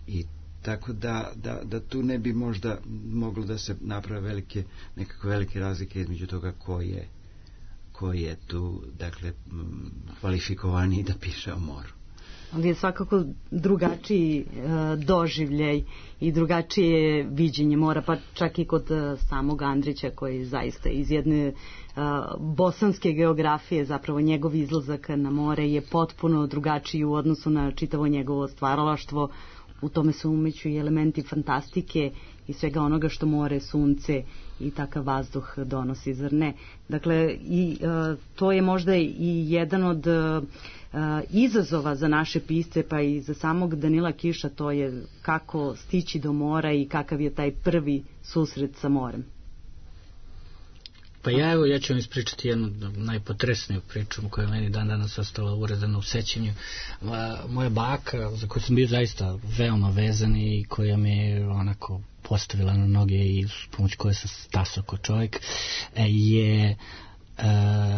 [SPEAKER 5] i tako da tu ne bi možda moglo da se naprave nekakve velike razlike između toga koji je tu, dakle, kvalifikovaniji da piše o moru.
[SPEAKER 2] Ali je svakako drugačiji doživljaj i drugačije viđenje mora, pa čak i kod samog Andrića, koji zaista iz jedne bosanske geografije, zapravo njegov izlazak na more je potpuno drugačiji u odnosu na čitavo njegovo stvaralaštvo. U tome su umeću i elementi fantastike i svega onoga što more, sunce i takav vazduh donosi, zar ne? Dakle, to je možda i jedan od izazova za naše pisce, pa i za samog Danila Kiša, to je kako stići do mora i kakav je taj prvi susret sa morem.
[SPEAKER 3] Pa ja ću vam ispričati jednu najpotresniju priču koja je meni dan danas ostala urezana u sećanju. Moja baka, za koju sam bio zaista veoma vezan i koja mi je onako postavila na noge i s pomoć koje sam stasao kao čovjek, je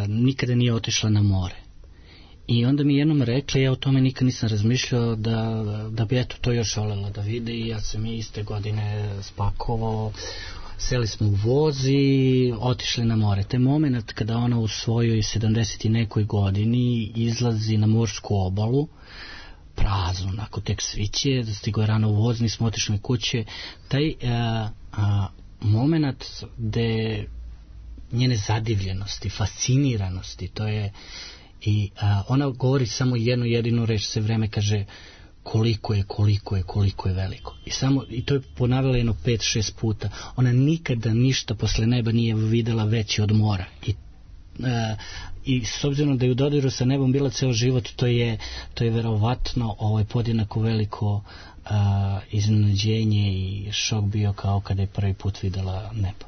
[SPEAKER 3] nikada nije otišla na more. I onda mi jednom rekli, ja o tome nikad nisam razmišljao, da bi eto to još voljela da vide, i ja sam je iste godine spakovao, seli smo u voz i otišli na more. Taj moment kada ona u svojoj 70 i nekoj godini izlazi na morsku obalu, prazno, onako tek sviće, stigo je rano u voz, nismo otišli kuće, taj moment gde njene zadivljenosti, fasciniranosti, to je, i ona govori samo jednu jedinu reč, sve vreme kaže koliko je veliko. I to je ponavljala jedno 5-6 puta. Ona nikada ništa posle neba nije videla veće od mora. I s obzirom da je u dodiru sa nebom bila ceo život, to je verovatno podjednako veliko iznenađenje i šok bio kao kada je prvi put videla nebo.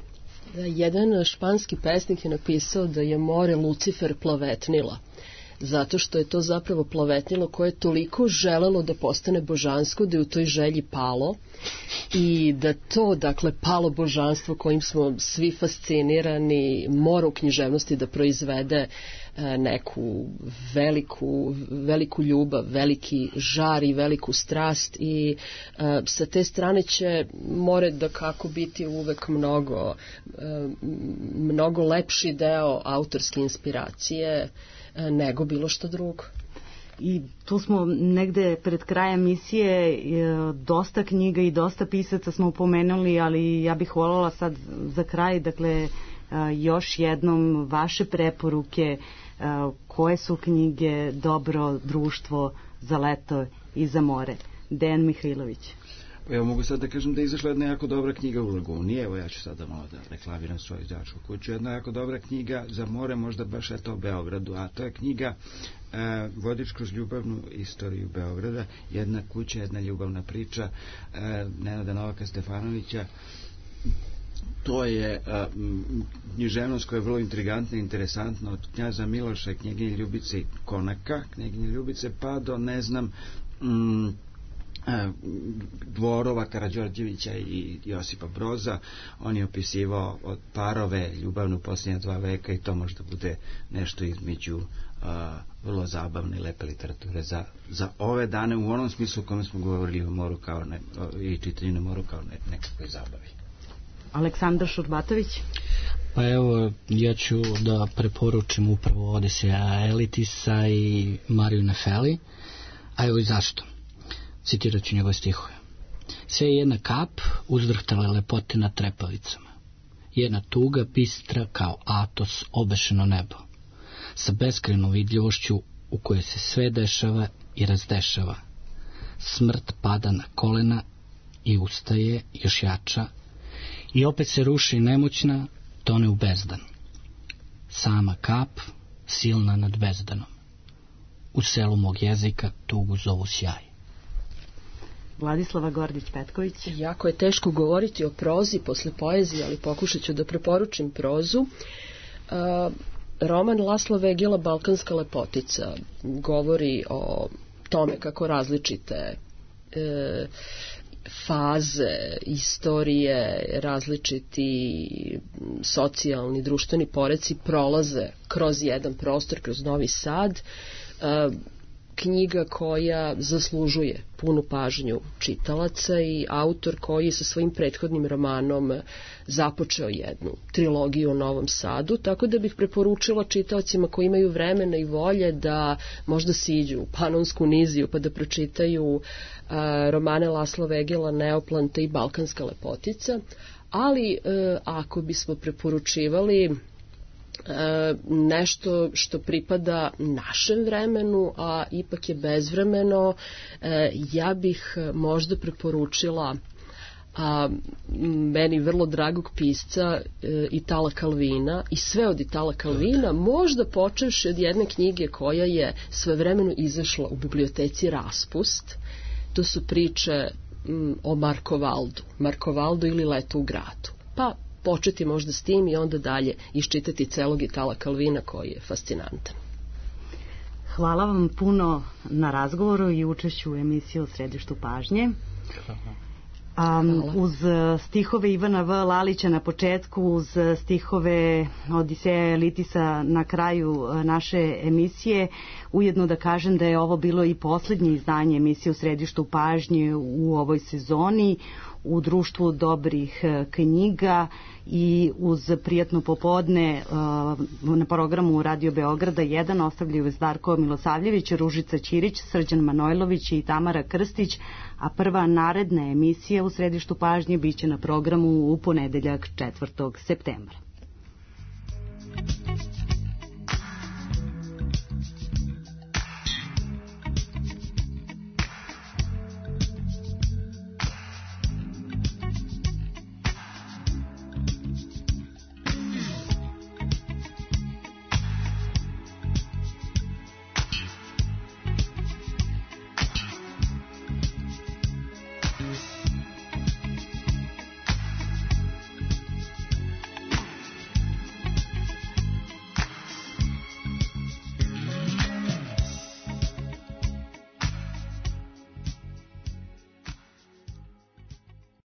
[SPEAKER 4] Jedan španski pesnik je napisao da je more Lucifer plavetnila, zato što je to zapravo plavetnilo koje je toliko želelo da postane božansko da je u toj želji palo, i da to, dakle, palo božanstvo kojim smo svi fascinirani mora u književnosti da proizvede neku veliku ljubav, veliki žar i veliku strast, i sa te strane će more da kako biti uvek mnogo lepši deo autorske inspiracije nego bilo što drugo.
[SPEAKER 2] I tu smo negde pred krajem emisije, dosta knjiga i dosta pisaca smo upomenuli, ali ja bih voljela sad za kraj, dakle, još jednom vaše preporuke, koje su knjige dobro društvo za leto i za more. Dejan Mihajlović.
[SPEAKER 5] Evo, mogu sad da kažem da je izašla jedna jako dobra knjiga u Laguni. Evo, ja ću sada malo da reklamiram svoju izdavačku kuću. Jedna jako dobra knjiga za more, možda baš eto u Beogradu, a to je knjiga Vodič kroz ljubavnu istoriju Beograda. Jedna kuća, jedna ljubavna priča Nenada Novaka Stefanovića. To je književnost koja je vrlo intrigantna i interesantna, od knjaza Miloša i knjeginje Ljubice Konaka, knjeginje Ljubice, pa do, ne znam, dvorova Karađorđevića i Josipa Broza. On je opisivao od parove ljubavnu posljednja 2 veka, i to možda bude nešto između vrlo zabavne i lepe literature za ove dane, u onom smislu u kome smo govorili o moru i čitanju na moru kao nekakvoj zabavi.
[SPEAKER 2] Aleksandar Šurbatović.
[SPEAKER 3] Pa evo, ja ću da preporučim upravo Odiseja Elitisa i Mariju Nefeli. A evo i zašto. Citirat ću njegove stihove. Sve je jedna kap uzdrhtale lepote na trepavicama. Jedna tuga bistra kao Atos obešeno nebo. Sa beskrajnom vidljivošću u kojoj se sve dešava i razdešava. Smrt pada na kolena i ustaje još jača, i opet se ruši nemoćna, tone u bezdan. Sama kap, silna nad bezdanom. U selu mog jezika tugu zovu sjaj.
[SPEAKER 2] Vladislava Gordić-Petković.
[SPEAKER 4] Jako je teško govoriti o prozi posle poezije, ali pokušat ću da preporučim prozu. Roman Lasla Vegila Balkanska lepotica govori o tome kako različite faze istorije, različiti socijalni, društveni poreci prolaze kroz jedan prostor, kroz Novi Sad. Knjiga koja zaslužuje punu pažnju čitalaca i autor koji je sa svojim prethodnim romanom započeo jednu trilogiju o Novom Sadu, tako da bih preporučila čitaocima koji imaju vremena i volje da možda siđu u Panonsku niziju pa da pročitaju romane Lasla Vegila Neoplanta i Balkanska lepotica, ali ako bismo preporučivali nešto što pripada našem vremenu, a ipak je bezvremeno, ja bih možda preporučila meni vrlo dragog pisca Itala Calvina, i sve od Itala Calvina, možda počevši od jedne knjige koja je svojevremeno izašla u biblioteci Raspust. To su priče o Markovaldu ili Leto u gradu. Pa početi možda s tim i onda dalje iščitati celog Itala Calvina koji je fascinantan.
[SPEAKER 2] Hvala vam puno na razgovoru i učešću u emisiji U središtu pažnje. Uz stihove Ivana V. Lalića na početku, uz stihove Odiseja Elitisa na kraju naše emisije, ujedno da kažem da je ovo bilo i poslednje izdanje emisije U središtu pažnje u ovoj sezoni, u društvu dobrih knjiga i uz prijatno popodne na programu Radio Beograda 1 ostavljaju Zdarko Milosavljević, Ružica Ćirić, Srđan Manojlović i Tamara Krstić, a prva naredna emisija U središtu pažnje biće na programu u ponedeljak 4. septembra.